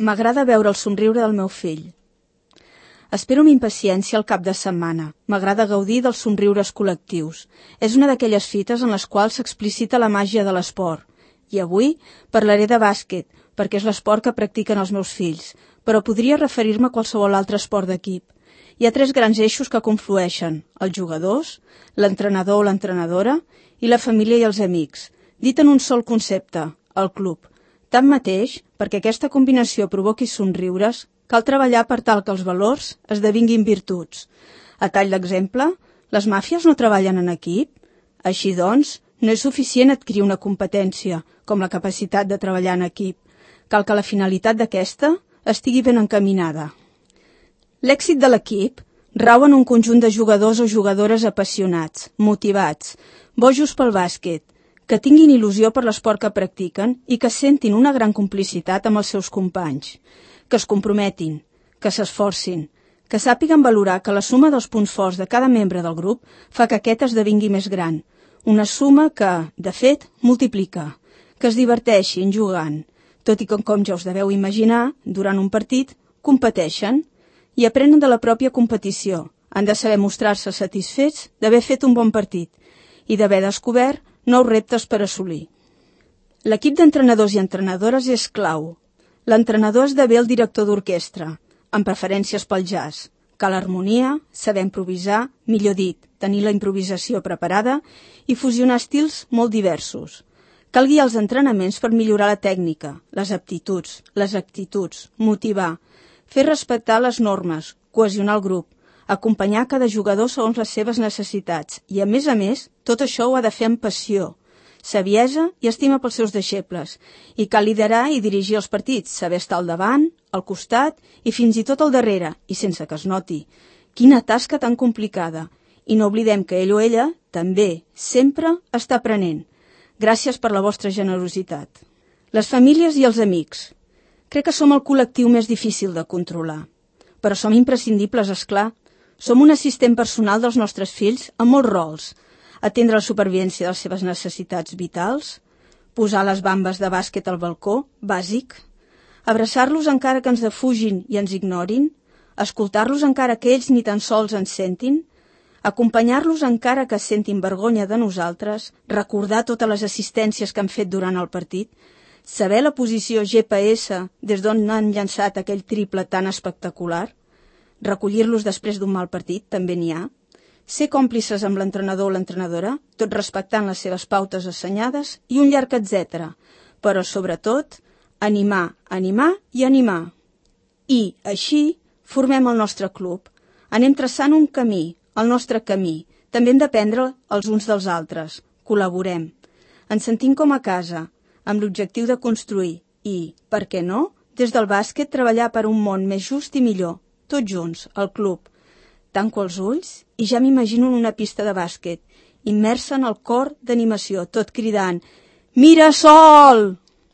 M'agrada veure el somriure del meu fill. Espero amb impaciència el cap de setmana. M'agrada gaudir dels somriures col·lectius. És una d'aquelles fites en les quals s'explicita la màgia de l'esport. I avui parlaré de bàsquet, perquè és l'esport que practiquen els meus fills, però podria referir-me a qualsevol altre esport d'equip. Hi ha 3 grans eixos que conflueixen: els jugadors, l'entrenador o l'entrenadora i la família i els amics, dit en un sol concepte, el club. Tanmateix, perquè aquesta combinació provoqui somriures, cal treballar per tal que els valors esdevinguin virtuts. A tall d'exemple, les màfies no treballen en equip. Així doncs, no és suficient adquirir una competència, com la capacitat de treballar en equip. Cal que la finalitat d'aquesta estigui ben encaminada. L'èxit de l'equip rau en un conjunt de jugadors o jugadores apassionats, motivats, bojos pel bàsquet, que tinguin il·lusió per l'esport que practiquen i que sentin una gran complicitat amb els seus companys, que es comprometin, que s'esforcin, que sàpiguen valorar que la suma dels punts forts de cada membre del grup fa que aquest esdevingui més gran, una suma que, de fet, multiplica, que es diverteixin jugant, tot i que, com ja us deveu imaginar, durant un partit, competeixen i aprenen de la pròpia competició. Han de saber mostrar-se satisfets d'haver fet un bon partit i d'haver descobert nous reptes per assolir. L'equip d'entrenadors i entrenadores és clau. L'entrenador esdevé el director d'orquestra, amb preferències pel jazz. Cal harmonia, saber improvisar, millor dit, tenir la improvisació preparada i fusionar estils molt diversos. Cal guiar els entrenaments per millorar la tècnica, les aptituds, les actituds, motivar, fer respectar les normes, cohesionar el grup, acompanyar cada jugador segons les seves necessitats i, a més, tot això ho ha de fer amb passió, saviesa i estima pels seus deixebles. I cal liderar i dirigir els partits, saber estar al davant, al costat i fins i tot al darrere, i sense que es noti. Quina tasca tan complicada! I no oblidem que ell o ella també, sempre, està aprenent. Gràcies per la vostra generositat. Les famílies i els amics. Crec que som el col·lectiu més difícil de controlar. Però som imprescindibles, és clar. Som un assistent personal dels nostres fills amb molts rols. Atendre la supervivència de les seves necessitats vitals, posar les bambes de bàsquet al balcó, bàsic, abraçar-los encara que ens defugin i ens ignorin, escoltar-los encara que ells ni tan sols ens sentin, acompanyar-los encara que sentin vergonya de nosaltres, recordar totes les assistències que han fet durant el partit, saber la posició GPS des d'on han llançat aquell triple tan espectacular, recollir-los després d'un mal partit, també n'hi ha, ser còmplices amb l'entrenador o l'entrenadora, tot respectant les seves pautes assenyades i un llarg etcètera, però sobretot animar, animar i animar. I, així, formem el nostre club. Anem traçant un camí, el nostre camí. També hem d'aprendre els uns dels altres. Col·laborem. Ens sentim com a casa, amb l'objectiu de construir i, per què no, des del bàsquet treballar per un món més just i millor, tots junts, al club. Tanco els ulls i ja m'imagino en una pista de bàsquet, immersa en el cor d'animació, tot cridant «Mira, Sol!».